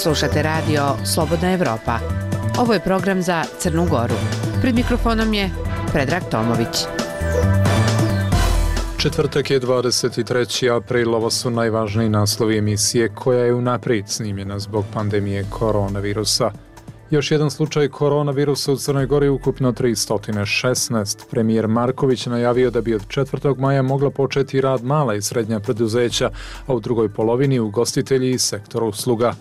Slušate radio Slobodna Evropa. Ovo je program za Crnu Goru. Pred mikrofonom je Predrag Tomović. Četvrtak je 23. april, ovo su najvažniji naslovi emisije koja je unaprijed snimljena zbog pandemije koronavirusa. Još jedan slučaj koronavirusa u Crnoj Gori, ukupno 316. Premijer Marković najavio da bi od 4. maja mogla početi rad mala i srednja preduzeća, a u drugoj polovini ugostitelji i sektor usluga.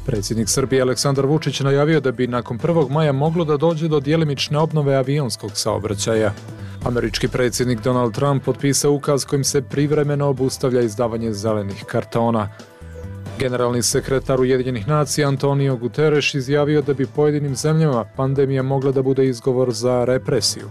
Predsjednik Srbije Aleksandar Vučić najavio da bi nakon 1. maja moglo da dođe do djelimične obnove avionskog saobraćaja. Američki predsjednik Donald Trump potpisao ukaz kojim se privremeno obustavlja izdavanje zelenih kartona. Generalni sekretar Ujedinjenih nacija Antonio Guterres izjavio da bi pojedinim zemljama pandemija mogla da bude izgovor za represiju.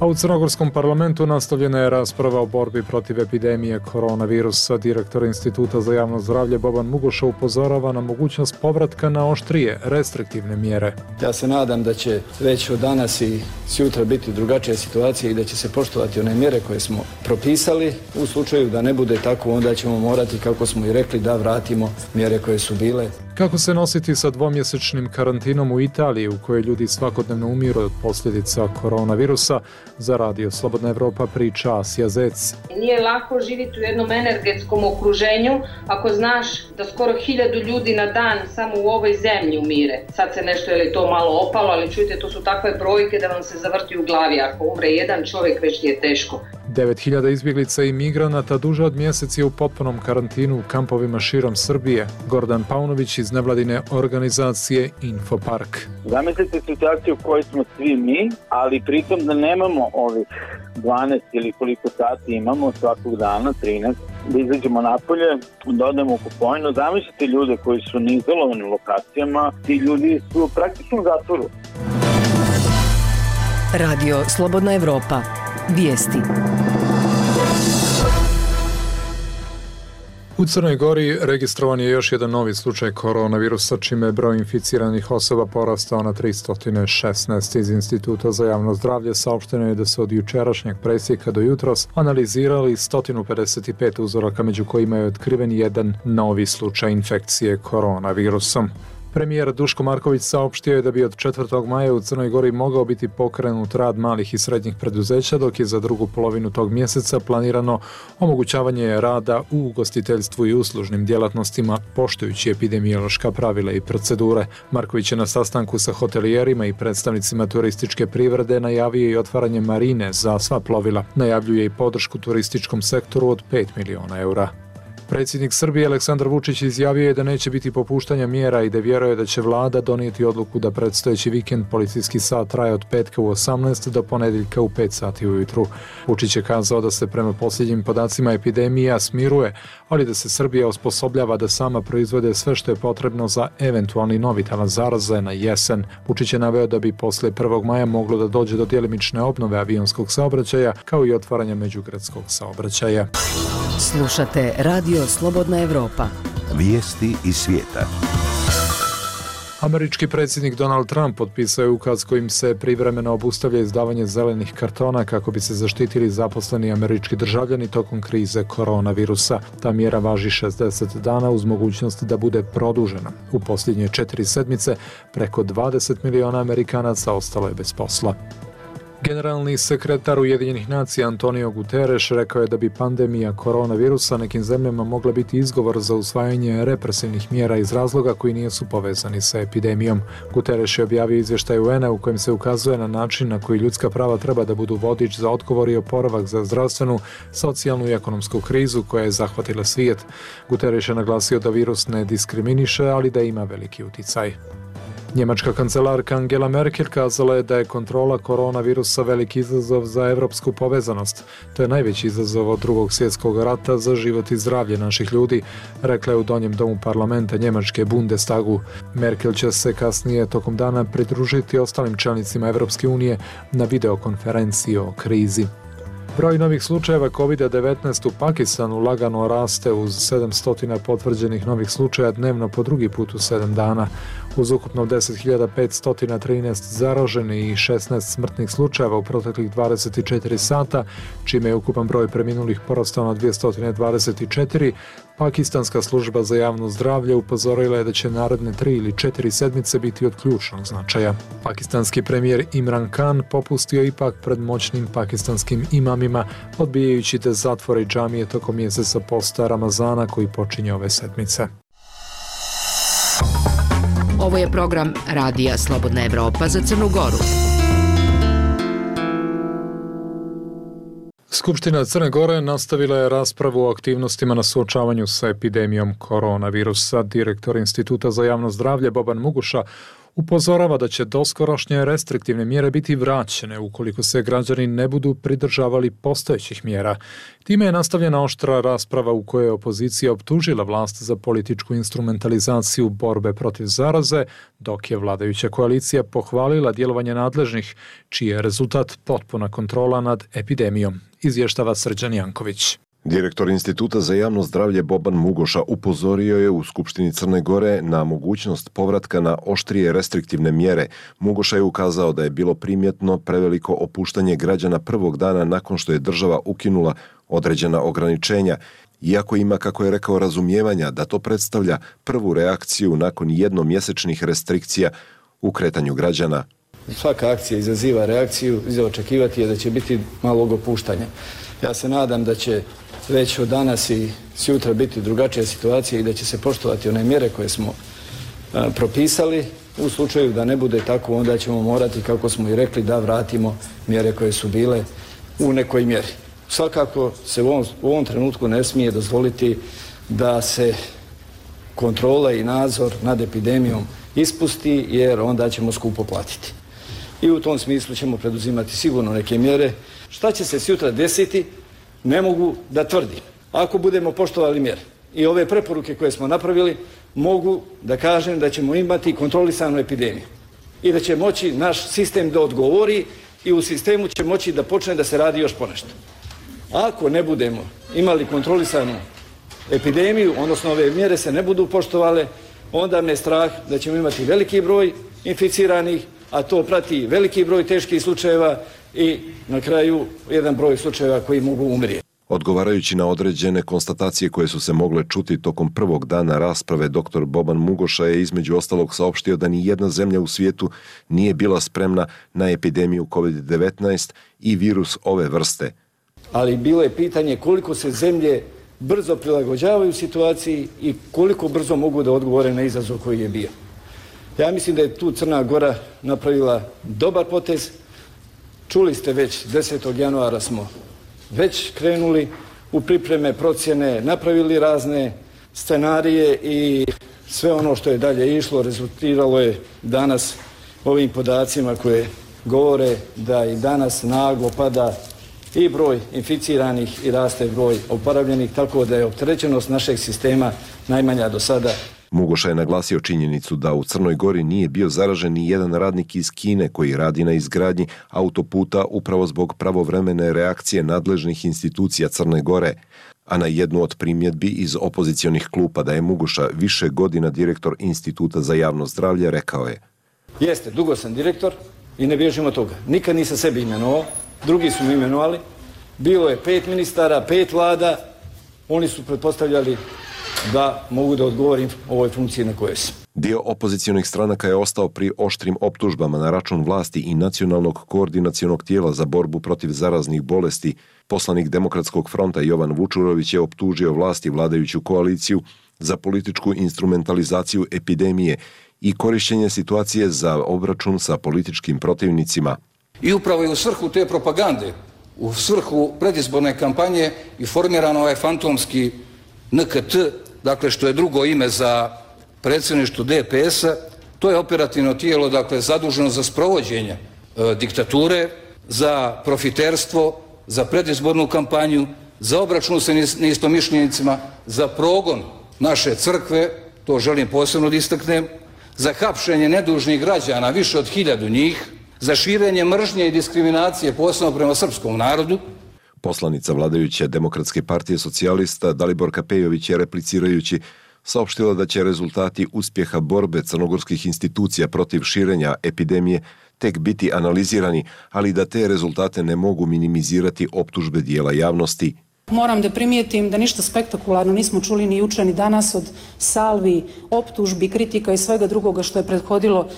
A u Crnogorskom parlamentu nastavljena je rasprava o borbi protiv epidemije koronavirusa. Direktor Instituta za javno zdravlje Boban Mugoša upozorava na mogućnost povratka na oštrije, restriktivne mjere. Ja se nadam da će već od danas i sutra biti drugačija situacija i da će se poštovati one mjere koje smo propisali. U slučaju da ne bude tako, onda ćemo morati, kako smo i rekli, da vratimo mjere koje su bile. Kako se nositi sa dvomjesečnim karantinom u Italiji, u kojoj ljudi svakodnevno umiru od posljedica koronavirusa, za radio Slobodna Evropa priča Asija Zec. Nije lako živjeti u jednom energetskom okruženju ako znaš da skoro 1000 ljudi na dan samo u ovoj zemlji umire. Sad se nešto, je li to malo opalo, ali čujte, to su takve brojke da vam se zavrti u glavi. Ako umre jedan čovjek, već je teško. 9000 izbjeglica i migranata duže od mjesec je u potpunom karantinu u kampovima širom Srbije. Gordan Paunović iz nevladine organizacije Infopark. Zamislite situaciju u kojoj smo svi mi, ali pritom da nemamo ovih 12 ili koliko sati imamo svakog dana, 13, da izađemo napolje, da odemo u kupovinu. Zamislite ljude koji su na izolovanim lokacijama, ti ljudi su praktično u zatvoru. Radio Slobodna Evropa. Vijesti. U Crnoj Gori registrovan je još jedan novi slučaj koronavirusa, čime je broj inficiranih osoba porastao na 316. Iz Instituta za javno zdravlje saopšteno je da se od jučerašnjeg presjeka do jutros analizirali 155 uzoraka, među kojima je otkriven jedan novi slučaj infekcije koronavirusom. Premijer Duško Marković saopštio je da bi od 4. maja u Crnoj Gori mogao biti pokrenut rad malih i srednjih preduzeća, dok je za drugu polovinu tog mjeseca planirano omogućavanje rada u ugostiteljstvu i uslužnim djelatnostima, poštujući epidemiološka pravila i procedure. Marković je na sastanku sa hotelijerima i predstavnicima turističke privrede najavio i otvaranje marine za sva plovila. Najavljuje i podršku turističkom sektoru od 5 miliona eura. Predsjednik Srbije Aleksandar Vučić izjavio je da neće biti popuštanja mjera i da vjeruje da će vlada donijeti odluku da predstojeći vikend policijski sat traje od petka u 18 do ponedjeljka u 5 sati ujutru. Vučić je kazao da se prema posljednjim podacima epidemija smiruje, ali da se Srbija osposobljava da sama proizvode sve što je potrebno za eventualni novi talas zaraze na jesen. Vučić je naveo da bi poslije 1. maja moglo da dođe do djelimične obnove avionskog saobraćaja, kao i otvaranja međugradskog saobraćaja. Slušate radio Slobodna Evropa. Vijesti iz svijeta. Američki predsjednik Donald Trump potpisao je ukaz kojim se privremeno obustavlja izdavanje zelenih kartona kako bi se zaštitili zaposleni američki državljani tokom krize koronavirusa. Ta mjera važi 60 dana uz mogućnost da bude produžena. U posljednje 4 sedmice preko 20 miliona Amerikanaca ostalo je bez posla. Generalni sekretar Ujedinjenih nacija Antonio Guterres rekao je da bi pandemija koronavirusa nekim zemljama mogla biti izgovor za usvajanje represivnih mjera iz razloga koji nisu povezani sa epidemijom. Guterres je objavio izvještaj UN-a u kojem se ukazuje na način na koji ljudska prava treba da budu vodič za odgovor i oporavak za zdravstvenu, socijalnu i ekonomsku krizu koja je zahvatila svijet. Guterres je naglasio da virus ne diskriminiše, ali da ima veliki uticaj. Njemačka kancelarka Angela Merkel kazala je da je kontrola koronavirusa veliki izazov za evropsku povezanost. To je najveći izazov od Drugog svjetskog rata za život i zdravlje naših ljudi, rekla je u donjem domu parlamenta Njemačke Bundestagu. Merkel će se kasnije tokom dana pridružiti ostalim čelnicima Evropske unije na videokonferenciji o krizi. Broj novih slučajeva COVID-19 u Pakistanu lagano raste uz 700 potvrđenih novih slučaja dnevno po drugi put u 7 dana. Uz ukupno 10.513 zaraženih i 16 smrtnih slučajeva u proteklih 24 sata, čime je ukupan broj preminulih porastao na 224, Pakistanska služba za javno zdravlje upozorila je da će naredne 3 ili 4 sedmice biti od ključnog značaja. Pakistanski premijer Imran Khan popustio ipak pred moćnim pakistanskim imamima, odbijajući da zatvore džamije tokom mjeseca posta Ramazana koji počinje ove sedmice. Ovo je program Radija Slobodna Evropa za Crnu Goru. Skupština Crne Gore nastavila je raspravu o aktivnostima na suočavanju sa epidemijom koronavirusa. Direktor Instituta za javno zdravlje Boban Muguša upozorava da će doskorašnje restriktivne mjere biti vraćene ukoliko se građani ne budu pridržavali postojećih mjera. Time je nastavljena oštra rasprava u kojoj je opozicija optužila vlast za političku instrumentalizaciju borbe protiv zaraze, dok je vladajuća koalicija pohvalila djelovanje nadležnih, čiji je rezultat potpuna kontrola nad epidemijom, izvještava Srđan Janković. Direktor Instituta za javno zdravlje Boban Mugoša upozorio je u Skupštini Crne Gore na mogućnost povratka na oštrije restriktivne mjere. Mugoša je ukazao da je bilo primjetno preveliko opuštanje građana prvog dana nakon što je država ukinula određena ograničenja, iako ima, kako je rekao, razumijevanja da to predstavlja prvu reakciju nakon jednomjesečnih restrikcija u kretanju građana. Svaka akcija izaziva reakciju, za očekivati je da će biti malog opuštanja. Ja se nadam da će već od danas i sutra biti drugačija situacija i da će se poštovati one mjere koje smo propisali. U slučaju da ne bude tako, onda ćemo morati, kako smo i rekli, da vratimo mjere koje su bile u nekoj mjeri. Svakako se u ovom trenutku ne smije dozvoliti da se kontrola i nadzor nad epidemijom ispusti, jer onda ćemo skupo platiti. I u tom smislu ćemo preduzimati sigurno neke mjere. Šta će se sutra desiti, ne mogu da tvrdim. Ako budemo poštovali mjere i ove preporuke koje smo napravili, mogu da kažem da ćemo imati kontrolisanu epidemiju i da će moći naš sistem da odgovori i u sistemu će moći da počne da se radi još ponešto. Ako ne budemo imali kontrolisanu epidemiju, odnosno ove mjere se ne budu poštovale, onda me je strah da ćemo imati veliki broj inficiranih, a to prati veliki broj teških slučajeva i na kraju jedan broj slučajeva koji mogu umrijeti. Odgovarajući na određene konstatacije koje su se mogle čuti tokom prvog dana rasprave, dr. Boban Mugoša je između ostalog saopštio da ni jedna zemlja u svijetu nije bila spremna na epidemiju COVID-19 i virus ove vrste. Ali bilo je pitanje koliko se zemlje brzo prilagođavaju situaciji i koliko brzo mogu da odgovore na izazov koji je bio. Ja mislim da je tu Crna Gora napravila dobar potez. Čuli ste već 10. januara smo već krenuli u pripreme, procjene, napravili razne scenarije i sve ono što je dalje išlo rezultiralo je danas ovim podacima koje govore da i danas naglo pada i broj inficiranih i raste broj oporavljenih, tako da je opterećenost našeg sistema najmanja do sada. Mugoša je naglasio činjenicu da u Crnoj Gori nije bio zaražen ni jedan radnik iz Kine koji radi na izgradnji autoputa upravo zbog pravovremene reakcije nadležnih institucija Crne Gore. A na jednu od primjedbi iz opozicionih klupa da je Mugoša više godina direktor Instituta za javno zdravlje rekao je: Jeste, dugo sam direktor i ne bježim od toga. Nikad nisam sebi imenovao, drugi su mi imenovali. Bilo je 5 ministara, 5 vlada, oni su pretpostavljali da mogu da odgovorim ovoj funkciji na kojoj sam. Dio opozicionih stranaka je ostao pri oštrim optužbama na račun vlasti i Nacionalnog koordinacionog tijela za borbu protiv zaraznih bolesti. Poslanik Demokratskog fronta Jovan Vučurović je optužio vlast i vladajuću koaliciju za političku instrumentalizaciju epidemije i korištenje situacije za obračun sa političkim protivnicima. I upravo je u svrhu te propagande, u svrhu predizborne kampanje i formiran ovaj fantomski NKT, dakle što je drugo ime za predsjedništvo DPS-a, to je operativno tijelo, dakle zaduženo za sprovođenje diktature, za profiterstvo, za predizbornu kampanju, za obračun sa neistomišljenicima, za progon naše crkve, to želim posebno da istaknem, za hapšenje nedužnih građana, više od 1000 njih, za širenje mržnje i diskriminacije posebno prema srpskom narodu. Poslanica vladajuće Demokratske partije socijalista Daliborka Pejović je replicirajući saopštila da će rezultati uspjeha borbe crnogorskih institucija protiv širenja epidemije tek biti analizirani, ali da te rezultate ne mogu minimizirati optužbe dijela javnosti. Moram da primijetim da ništa spektakularno nismo čuli ni jučer ni danas od salvi, optužbi, kritika i svega drugoga što je prethodilo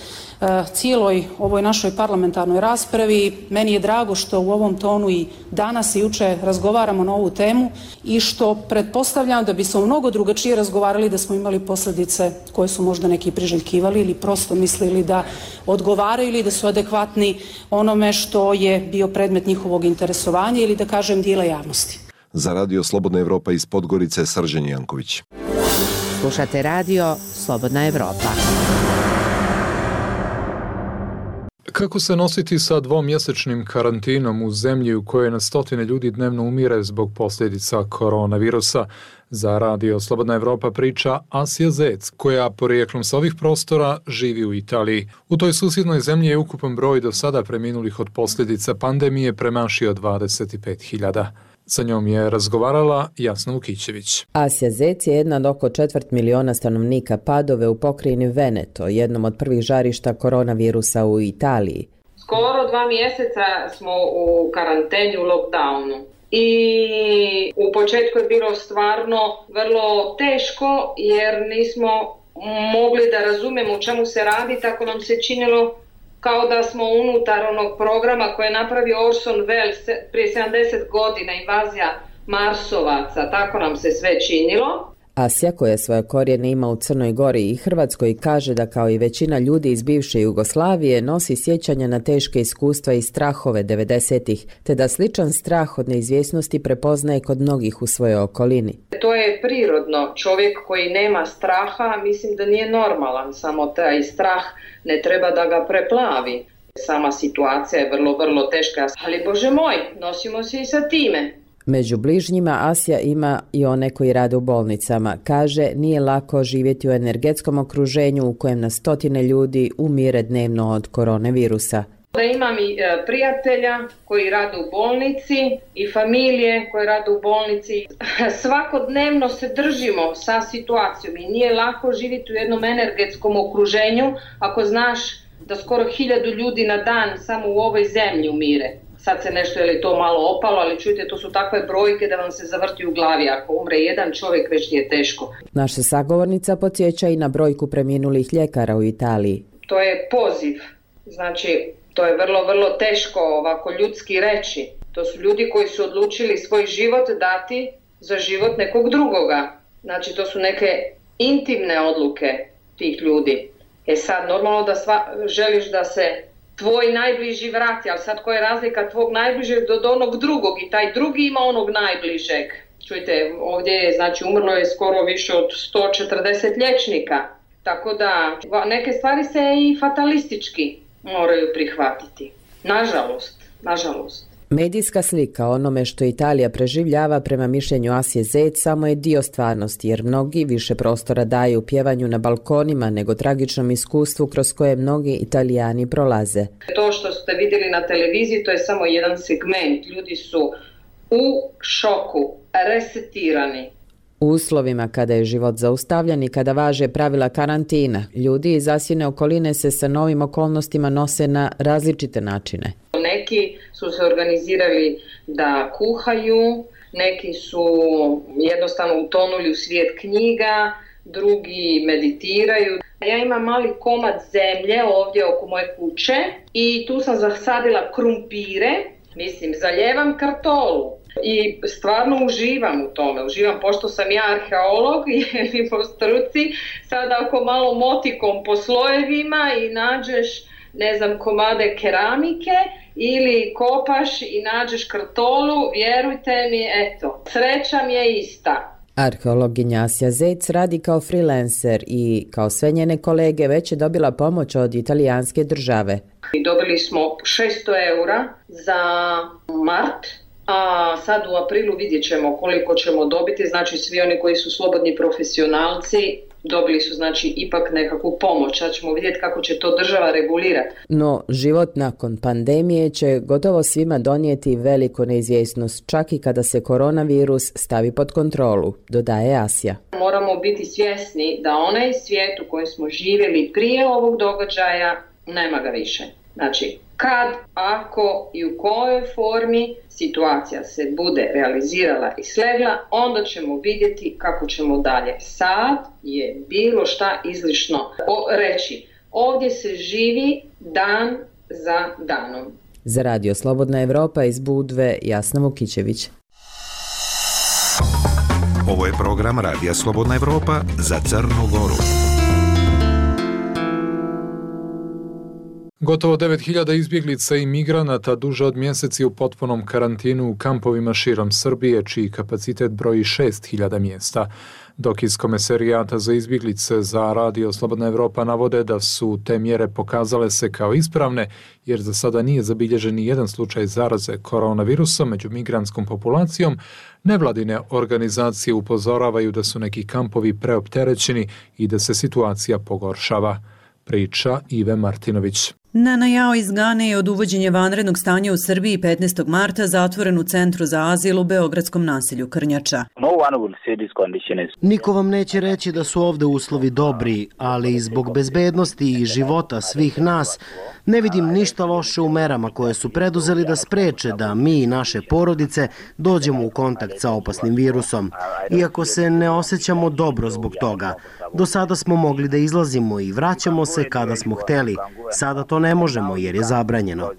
cijeloj ovoj našoj parlamentarnoj raspravi. Meni je drago što u ovom tonu i danas i jučer razgovaramo na ovu temu i što pretpostavljam da bismo mnogo drugačije razgovarali da smo imali posljedice koje su možda neki priželjkivali ili prosto mislili da odgovaraju ili da su adekvatni onome što je bio predmet njihovog interesovanja ili da kažem dijela javnosti. Za Radio Slobodna Evropa iz Podgorice, Srđan Janković. Slušate radio Slobodna Evropa. Kako se nositi sa dvomjesečnim karantinom u zemlji u kojoj na stotine ljudi dnevno umire zbog posljedica koronavirusa? Za Radio Slobodna Evropa priča Asja Zec, koja porijeklom sa ovih prostora živi u Italiji. U toj susjednoj zemlji je ukupan broj do sada preminulih od posljedica pandemije premašio 25.000. Sa njom je razgovarala Jasna Vukićević. Asja Zec je jedna od oko 250.000 stanovnika Padove u pokrajini Veneto, jednom od prvih žarišta koronavirusa u Italiji. Skoro 2 mjeseca smo u karanteni, u lockdownu. I u početku je bilo stvarno vrlo teško jer nismo mogli da razumemo u čemu se radi, tako nam se činilo kao da smo unutar onog programa koje je napravio Orson Welles prije 70 godina, invazija Marsovaca, tako nam se sve činilo. Asja, koja svoje korijene ima u Crnoj Gori i Hrvatskoj, kaže da kao i većina ljudi iz bivše Jugoslavije nosi sjećanja na teške iskustva i strahove 90-ih, te da sličan strah od neizvjesnosti prepoznaje kod mnogih u svojoj okolini. To je prirodno. Čovjek koji nema straha, mislim da nije normalan, samo taj strah ne treba da ga preplavi. Sama situacija je vrlo, vrlo teška, ali Bože moj, nosimo se i sa time. Među bližnjima Asja ima i one koji rade u bolnicama. Kaže, nije lako živjeti u energetskom okruženju u kojem na stotine ljudi umire dnevno od koronavirusa. Da imam i prijatelja koji rade u bolnici i familije koje rade u bolnici. Svakodnevno se držimo sa situacijom i nije lako živjeti u jednom energetskom okruženju ako znaš da skoro 1000 ljudi na dan samo u ovoj zemlji umire. Sad se nešto, je li to malo opalo, ali čujte, to su takve brojke da vam se zavrti u glavi. Ako umre jedan čovjek, već je teško. Naša sagovornica podsjeća i na brojku preminulih ljekara u Italiji. To je poziv. Znači, to je vrlo, vrlo teško ovako ljudski reći. To su ljudi koji su odlučili svoj život dati za život nekog drugoga. Znači, to su neke intimne odluke tih ljudi. Sad, normalno da želiš da se tvoj najbliži vrati, ali sad koja je razlika tvog najbližeg do onog drugog i taj drugi ima onog najbližeg. Čujte, ovdje je, znači, umrlo je skoro više od 140 liječnika, tako da neke stvari se i fatalistički moraju prihvatiti. Nažalost. Medijska slika onome što Italija preživljava prema mišljenju Asje Zec samo je dio stvarnosti, jer mnogi više prostora daju pjevanju na balkonima nego tragičnom iskustvu kroz koje mnogi Italijani prolaze. To što ste vidjeli na televiziji, to je samo jedan segment. Ljudi su u šoku, resetirani. U uslovima kada je život zaustavljen i kada važe pravila karantina, ljudi iz Asjine okoline se sa novim okolnostima nose na različite načine. Neki su se organizirali da kuhaju, neki su jednostavno utonuli u svijet knjiga, drugi meditiraju. Ja imam mali komad zemlje ovdje oko moje kuće i tu sam zasadila krumpire, zaljevam kartolu. I stvarno uživam u tome, pošto sam ja arheolog i po struci, sada ako malo motikom po slojevima i nađeš, komade keramike ili kopaš i nađeš kartolu, vjerujte mi, sreća mi je ista. Arheologinja Asja Zec radi kao freelancer i kao sve njene kolege već je dobila pomoć od italijanske države. Dobili smo 600 eura za mart. A sad u aprilu vidjet ćemo koliko ćemo dobiti, znači svi oni koji su slobodni profesionalci dobili su znači ipak nekakvu pomoć, sad ćemo vidjeti kako će to država regulirati. No, život nakon pandemije će gotovo svima donijeti veliku neizvjesnost, čak i kada se koronavirus stavi pod kontrolu, dodaje Asja. Moramo biti svjesni da onaj svijet u kojem smo živjeli prije ovog događaja nema ga više. Znači, kad, ako i u kojoj formi situacija se bude realizirala i slegla, onda ćemo vidjeti kako ćemo dalje. Sad je bilo šta izlišno reći. Ovdje se živi dan za danom. Za Radio Slobodna Evropa iz Budve, Jasna Vukićević. Ovo je program Radija Slobodna Evropa za Crnu Goru. Gotovo 9.000 izbjeglica i migranata duže od mjeseci u potpunom karantinu u kampovima širom Srbije, čiji kapacitet broji 6.000 mjesta. Dok iz Komesarijata za izbjeglice za Radio Slobodna Evropa navode da su te mjere pokazale se kao ispravne, jer za sada nije zabilježen ni jedan slučaj zaraze koronavirusom među migrantskom populacijom, nevladine organizacije upozoravaju da su neki kampovi preopterećeni i da se situacija pogoršava. Priča Ive Martinović. Nana Jao iz Gane je od uvođenja vanrednog stanja u Srbiji 15. marta zatvoren u Centru za azil u beogradskom naselju Krnjača. Niko vam neće reći da su ovde uslovi dobri, ali zbog bezbednosti i života svih nas ne vidim ništa loše u merama koje su preduzeli da spreče da mi i naše porodice dođemo u kontakt sa opasnim virusom. Iako se ne osjećamo dobro zbog toga, do sada smo mogli da izlazimo i vraćamo se kada smo hteli. Sada to ne možemo jer je zabranjeno.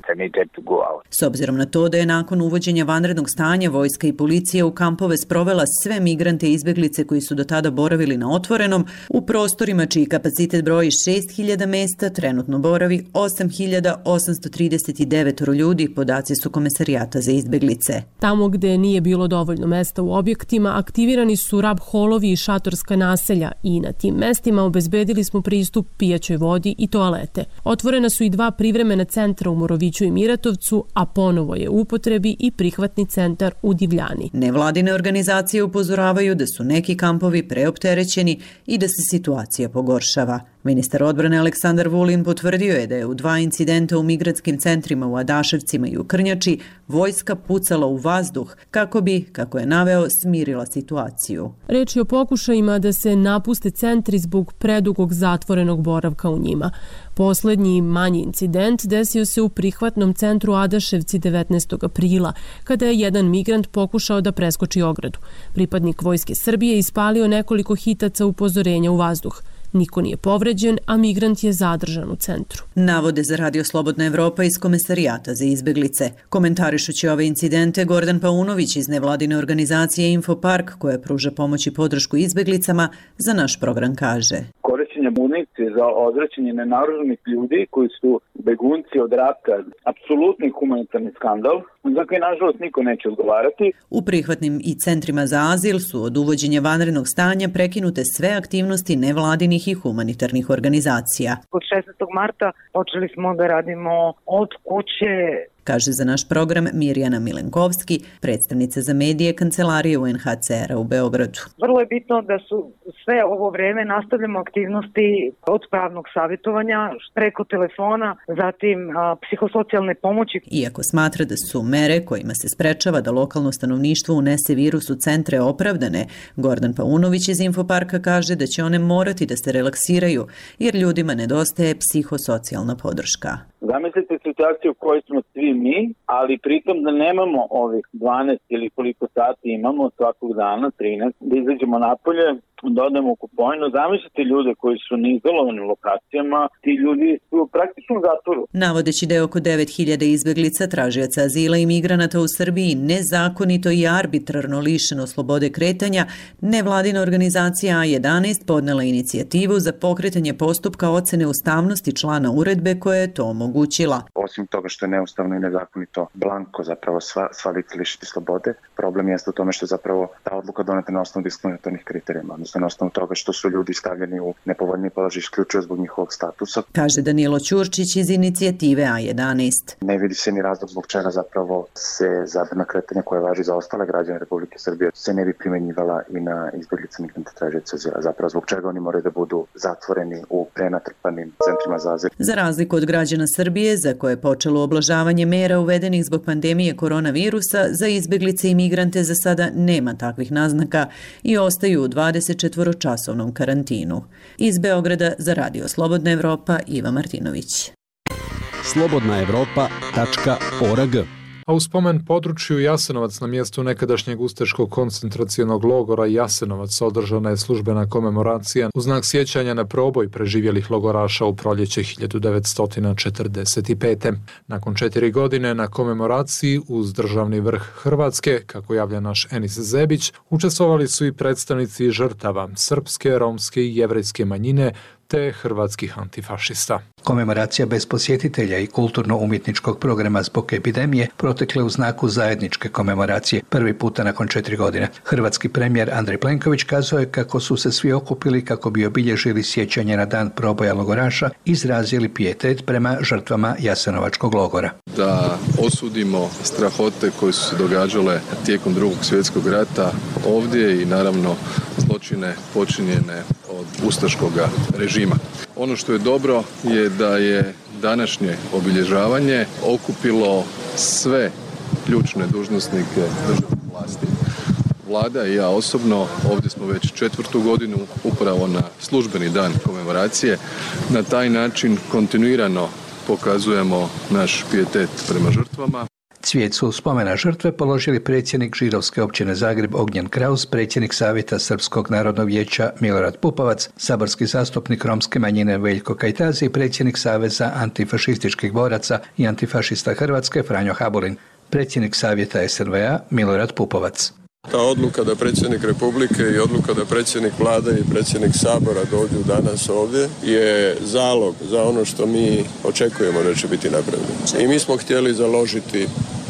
S obzirom na to da je nakon uvođenja vanrednog stanja vojska i policija u kampove sprovela sve migrante i izbjeglice koji su do tada boravili na otvorenom, u prostorima čiji kapacitet broji 6.000 mjesta trenutno boravi 8.839 ljudi, podaci su Komesarijata za izbjeglice. Tamo gde nije bilo dovoljno mesta u objektima, aktivirani su rab holovi i šatorska naselja i na tim mestima obezbedili smo pristup pijaćoj vodi i toalete. Otvorena su i 2 privremena centra u Moroviću i Miratovcu, a ponovo je u upotrebi i prihvatni centar u Divljani. Nevladine organizacije upozoravaju da su neki kampovi preopterećeni i da se situacija pogoršava. Ministar odbrane Aleksandar Vulin potvrdio je da je u 2 incidenta u migratskim centrima u Adaševcima i u Krnjači vojska pucala u vazduh kako bi, kako je naveo, smirila situaciju. Reč je o pokušajima da se napuste centri zbog predugog zatvorenog boravka u njima. Poslednji manji incident desio se u prihvatnom centru Adaševci 19. aprila, kada je jedan migrant pokušao da preskoči ogradu. Pripadnik Vojske Srbije ispalio nekoliko hitaca upozorenja u vazduh. Niko nije povređen, a migrant je zadržan u centru. Navode za Radio Slobodna Evropa iz Komesarijata za izbjeglice. Komentarišući ove incidente, Gordan Paunović iz nevladine organizacije Infopark, koja pruža pomoć i podršku izbjeglicama, za naš program kaže: Korišćenje municije za odvraćanje nenaoružanih ljudi koji su begunci od rata, apsolutni humanitarni skandal, za koji nažalost niko neće odgovarati. U prihvatnim i centrima za azil su od uvođenja vanrednog stanja prekinute sve aktivnosti nevladinih i humanitarnih organizacija. Od 16. marta počeli smo da radimo od kuće, kaže za naš program Mirjana Milenkovski, predstavnica za medije Kancelarije UNHCR-a u Beogradu. Vrlo je bitno da su sve ovo vreme nastavljamo aktivnosti od pravnog savjetovanja preko telefona, zatim psihosocijalne pomoći. Iako smatra da su mere kojima se sprečava da lokalno stanovništvo unese virus u centre opravdane, Gordan Paunović iz Infoparka kaže da će one morati da se relaksiraju jer ljudima nedostaje psihosocijalna podrška. Zamislite situaciju u kojoj smo svi mi, ali pritom da nemamo ovih 12 ili koliko sati imamo svakog dana, 13, da izađemo napolje, da odemo u Kupojnu. Zamislite ljude koji su na izolovanim lokacijama, ti ljudi su praktično u zatvoru. Navodeći da je oko 9.000 izbjeglica, tražioca azila i migranata u Srbiji nezakonito i arbitrarno lišeno slobode kretanja, nevladina organizacija A11 podnela inicijativu za pokretanje postupka ocene ustavnosti člana uredbe koja je to omogućila. Osim toga što je neustavno i nezakonito blanko zapravo sva lica lišiti slobode, problem jeste u tome što zapravo ta odluka doneta na osnovu diskriminatornih kriterijuma, na osnovu toga što su ljudi stavljeni u nepovoljni položaj isključivo zbog njihovog statusa. Kaže Danilo Ćurčić iz inicijative A11. Ne vidi se ni razlog zbog čega zapravo se zabrana kretanja koja važi za ostale građane Republike Srbije se ne bi primjenjivala i na izbjeglice migrante tražioce azila. Zapravo zbog čega oni moraju da budu zatvoreni u prenatrpanim centrima za azil. Za razliku od građana Srbije, za koje je počelo oblažavanje mera uvedenih zbog pandemije koronavirusa, za izbjeglice i migrante za sada nema takvih naznaka i ostaju u 24-časovnom karantinu. Iz Beograda za Radio Slobodna Evropa, Iva Martinović. slobodnaevropa.org. A u spomen području Jasenovac na mjestu nekadašnjeg ustaškog koncentracionog logora Jasenovac održana je službena komemoracija u znak sjećanja na proboj preživjelih logoraša u proljeće 1945. Nakon 4 godine na komemoraciji uz državni vrh Hrvatske, kako javlja naš Enis Zebić, učestvovali su i predstavnici žrtava srpske, romske i jevrejske manjine te hrvatskih antifašista. Komemoracija bez posjetitelja i kulturno-umjetničkog programa zbog epidemije protekle u znaku zajedničke komemoracije prvi puta nakon 4 godine. Hrvatski premijer Andrej Plenković kazao je kako su se svi okupili kako bi obilježili sjećanje na dan proboja logoraša, izrazili pijetet prema žrtvama Jasenovačkog logora. Da osudimo strahote koje su se događale tijekom Drugog svjetskog rata ovdje i naravno zločine počinjene od ustaškog režima. Ono što je dobro je da je današnje obilježavanje okupilo sve ključne dužnosnike državne vlasti. Vlada i ja osobno ovdje smo već 4. godinu upravo na službeni dan komemoracije. Na taj način kontinuirano pokazujemo naš pijetet prema žrtvama. Cvijet su spomena žrtve položili predsjednik Židovske općine Zagreb Ognjen Kraus, predsjednik Savjeta Srpskog narodnog vijeća Milorad Pupovac, saborski zastupnik romske manjine Veljko Kajtazi i predsjednik Saveza antifašističkih boraca i antifašista Hrvatske Franjo Habulin, predsjednik Savjeta SNV-a Milorad Pupovac. Ta odluka da predsjednik Republike i odluka da predsjednik Vlade i predsjednik Sabora dođu danas ovdje je zalog za ono što mi očekujemo da će biti napravljeno. I mi smo htjeli založiti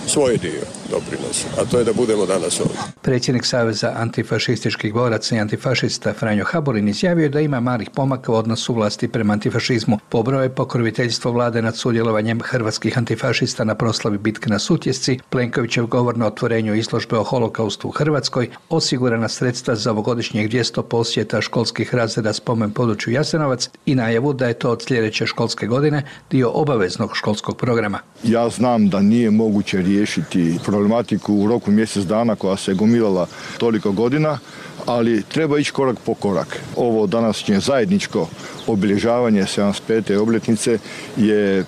svoj dio doprinosa, a to je da budemo danas ovdje. Predsjednik Saveza antifašističkih boraca i antifašista Franjo Habulin izjavio da ima malih pomaka u odnosu vlasti prema antifašizmu. Pobrojao je pokroviteljstvo vlade nad sudjelovanjem hrvatskih antifašista na proslavi bitke na Sutjesci, Plenkovićev govor na otvorenju izložbe o holokaustu u Hrvatskoj, osigurana sredstva za ovogodišnjeg 200 posjeta školskih razreda spomen području Jasenovac i najavu da je to od sljedeće školske godine dio obaveznog školskog programa. Ja znam da nije moguće riješiti problematiku u roku mjesec dana koja se gomilala toliko godina, ali treba ići korak po korak. Ovo današnje zajedničko obilježavanje 75. obljetnice je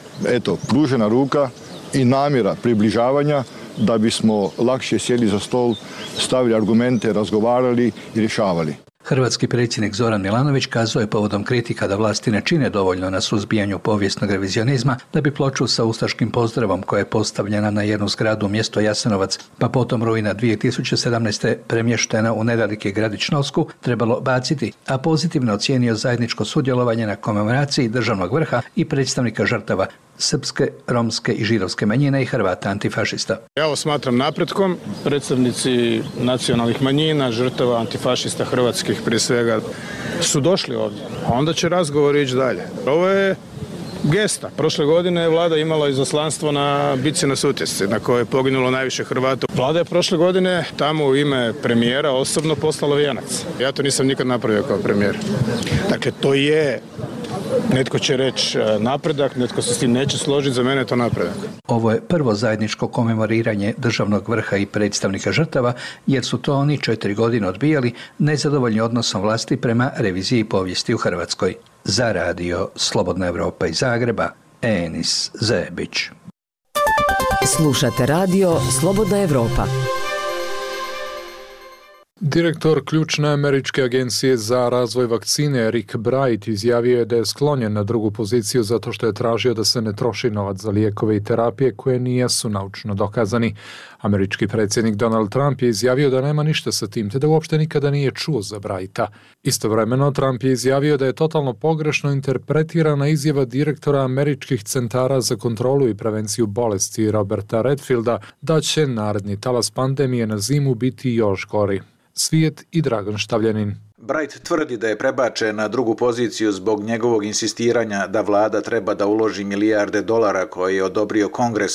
pružena ruka i namjera približavanja da bismo lakše sjeli za stol, stavili argumente, razgovarali i rješavali. Hrvatski predsjednik Zoran Milanović kazao je povodom kritika da vlasti ne čine dovoljno na suzbijanju povijesnog revizionizma da bi ploču sa ustaškim pozdravom koja je postavljena na jednu zgradu u mjesto Jasenovac, pa potom rujna 2017. premještena u nedaleki gradić Novsku, trebalo baciti, a pozitivno ocijenio zajedničko sudjelovanje na komemoraciji državnog vrha i predstavnika žrtava srpske, romske i židovske manjine i Hrvata antifašista. Ja ovo smatram napretkom. Predstavnici nacionalnih manjina, žrtava antifašista hrvatskih prije svega su došli ovdje, a onda će razgovor ići dalje. Ovo je gesta. Prošle godine je vlada imala izaslanstvo na bitci na Sutjesci, na kojoj je poginulo najviše Hrvata. Vlada je prošle godine tamo u ime premijera osobno poslala vijenac. Ja to nisam nikad napravio kao premijer. Dakle, to je, netko će reći napredak, netko se s tim neće složiti, za mene je to napredak. Ovo je prvo zajedničko komemoriranje državnog vrha i predstavnika žrtava, jer su to oni 4 godine odbijali, nezadovoljni odnosom vlasti prema reviziji povijesti u Hrvatskoj. Za radio Slobodna Evropa iz Zagreba, Enis Zebić. Slušate radio Slobodna Evropa. Direktor ključne američke agencije za razvoj vakcine Rick Bright izjavio je da je sklonjen na drugu poziciju zato što je tražio da se ne troši novac za lijekove i terapije koje nisu naučno dokazani. Američki predsjednik Donald Trump je izjavio da nema ništa sa tim, te da uopšte nikada nije čuo za Brighta. Istovremeno, Trump je izjavio da je totalno pogrešno interpretirana izjava direktora američkih centara za kontrolu i prevenciju bolesti Roberta Redfielda da će naredni talas pandemije na zimu biti još gori. Svijet i Dragan Štavljanin. Bright tvrdi da je prebačen na drugu poziciju zbog njegovog insistiranja da vlada treba da uloži milijarde dolara koje je odobrio Kongres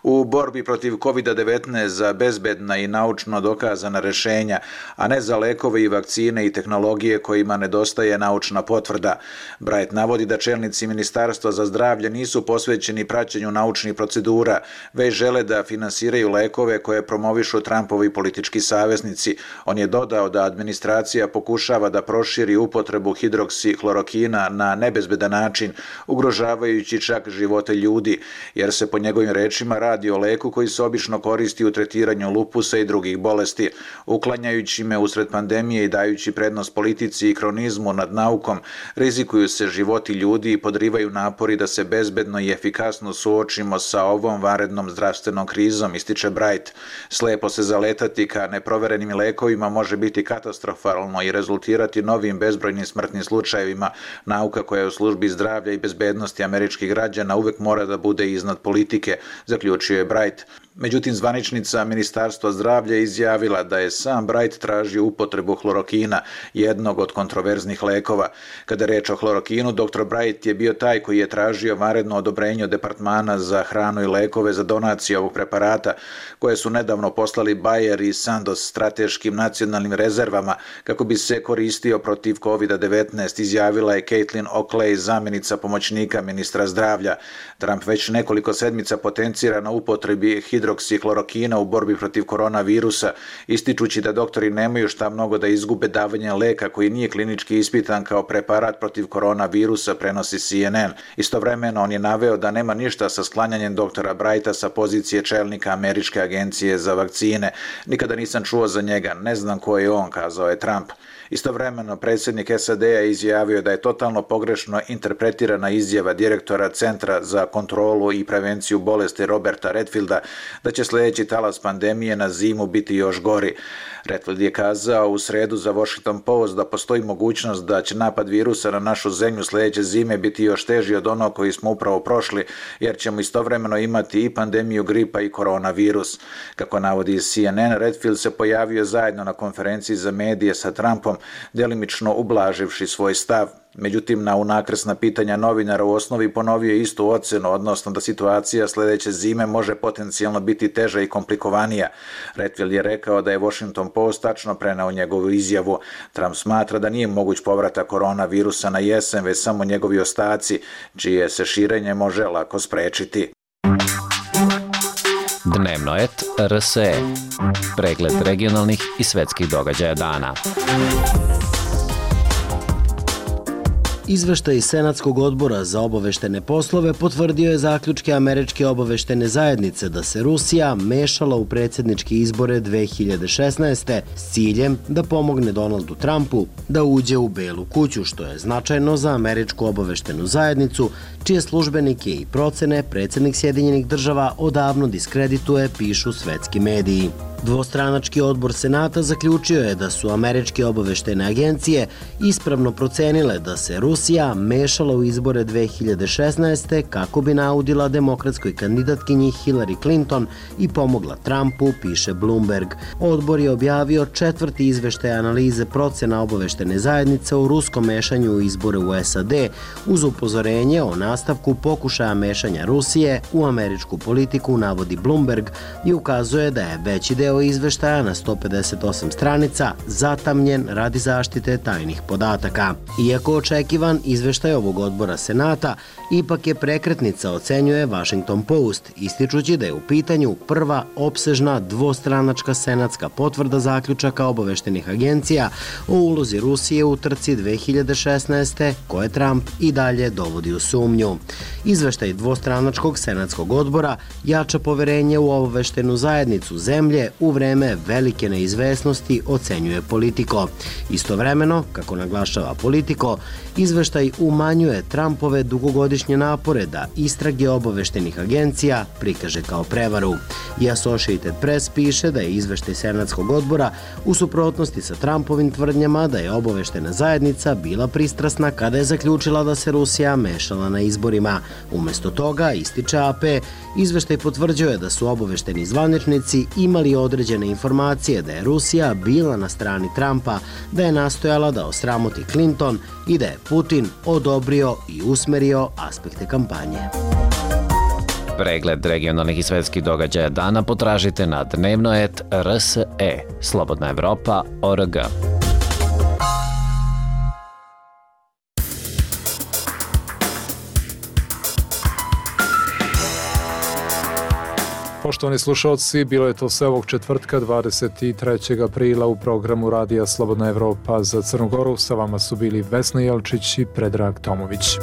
u borbi protiv COVID-19 za bezbedna i naučno dokazana rješenja, a ne za lekove i vakcine i tehnologije kojima nedostaje naučna potvrda. Bright navodi da čelnici Ministarstva za zdravlje nisu posvećeni praćenju naučnih procedura, već žele da finansiraju lekove koje promovišu Trumpovi politički saveznici. On je dodao da administracija pokušava pokušava da proširi upotrebu hidroksihlorokina na nebezbedan način, ugrožavajući čak živote ljudi, jer se po njegovim rečima radi o leku koji se obično koristi u tretiranju lupusa i drugih bolesti. Uklanjajući me usred pandemije i dajući prednost politici i kronizmu nad naukom, rizikuju se životi ljudi i podrivaju napori da se bezbedno i efikasno suočimo sa ovom vanrednom zdravstvenom krizom, ističe Bright. Slepo se zaletati ka neproverenim lekovima može biti katastrofalno i rezultirati novim bezbrojnim smrtnim slučajevima. Nauka koja je u službi zdravlja i bezbednosti američkih građana uvek mora da bude iznad politike, zaključio je Bright. Međutim, zvaničnica Ministarstva zdravlja izjavila da je sam Bright tražio upotrebu hlorokina, jednog od kontroverznih lekova. Kada je reč o hlorokinu, dr. Bright je bio taj koji je tražio vanredno odobrenje od Departmana za hranu i lekove za donaciju ovog preparata, koje su nedavno poslali Bayer i Sandoz strateškim nacionalnim rezervama kako bi se koristio protiv COVID-19, izjavila je Caitlin Oakley, zamjenica pomoćnika ministra zdravlja. Trump već nekoliko sedmica potencira na upotrebi hidroksihlorokina u borbi protiv koronavirusa, ističući da doktori nemaju šta mnogo da izgube davanjem leka koji nije klinički ispitan kao preparat protiv koronavirusa, prenosi CNN. Istovremeno on je naveo da nema ništa sa sklanjanjem doktora Brighta sa pozicije čelnika Američke agencije za vakcine. Nikada nisam čuo za njega, ne znam ko je on, kazao je Trump. Istovremeno, predsjednik SAD-a je izjavio da je totalno pogrešno interpretirana izjava direktora Centra za kontrolu i prevenciju bolesti Roberta Redfielda da će sljedeći talas pandemije na zimu biti još gori. Redfield je kazao u sredu za Washington Post da postoji mogućnost da će napad virusa na našu zemlju sljedeće zime biti još teži od onog koji smo upravo prošli, jer ćemo istovremeno imati i pandemiju gripa i koronavirus. Kako navodi CNN, Redfield se pojavio zajedno na konferenciji za medije sa Trumpom, delimično ublaživši svoj stav. Međutim, na unakrsna pitanja novinara u osnovi ponovio istu ocenu, odnosno da situacija sljedeće zime može potencijalno biti teža i komplikovanija. Redfield je rekao da je Washington Post tačno preneo njegovu izjavu. Trump smatra da nije moguć povratak koronavirusa na jesen, već samo njegovi ostaci, čije se širenje može lako sprečiti. Dnevno et RSE. Pregled regionalnih i svetskih događaja dana. Izveštaj Senatskog odbora za obaveštene poslove potvrdio je zaključke Američke obaveštene zajednice da se Rusija mešala u predsjedničke izbore 2016. s ciljem da pomogne Donaldu Trumpu da uđe u Belu kuću, što je značajno za Američku obaveštenu zajednicu, čije službenike i procene predsjednik Sjedinjenih država odavno diskredituje, pišu svetski mediji. Dvostranački odbor Senata zaključio je da su američke obaveštene agencije ispravno procenile da se Rusija mešala u izbore 2016. kako bi naudila demokratskoj kandidatkinji Hillary Clinton i pomogla Trumpu, piše Bloomberg. Odbor je objavio 4. izveštaj analize procena obaveštene zajednice o ruskom mešanju u izbore u SAD uz upozorenje o nastavku pokušaja mešanja Rusije u američku politiku, navodi Bloomberg, i ukazuje da je veći deo izveštaja na 158 stranica zatamnjen radi zaštite tajnih podataka. Iako očekivan, izveštaj ovog odbora Senata ipak je prekretnica, ocenjuje Washington Post, ističući da je u pitanju prva opsežna dvostranačka senatska potvrda zaključaka obaveštenih agencija o ulozi Rusije u trci 2016. koje Trump i dalje dovodi u sumnju. Izveštaj dvostranačkog senatskog odbora jača poverenje u obaveštenu zajednicu zemlje u vreme velike neizvesnosti, ocenjuje Politico. Istovremeno, kako naglašava Politico, izveštaj umanjuje Trumpove dugogodišnje napore da istrage obaveštenih agencija prikaže kao prevaru. I Associated Press piše da je izveštaj Senatskog odbora u suprotnosti sa Trumpovim tvrdnjama da je obaveštena zajednica bila pristrasna kada je zaključila da se Rusija mešala na izborima. Umesto toga, ističe AP, izveštaj potvrđuje da su obavešteni zvaničnici imali određene informacije da je Rusija bila na strani Trumpa, da je nastojala da osramoti Clinton i da je Putin odobrio i usmerio aspekte kampanje. Pregled regionalnih i svetskih događaja dana potražite na dnevnoet.rse. Slobodna Evropa.org. Poštovani slušalci, bilo je to sve ovog četvrtka 23. aprila u programu Radija Slobodna Evropa za Crnu Goru. Sa vama su bili Vesna Jelčić i Predrag Tomović.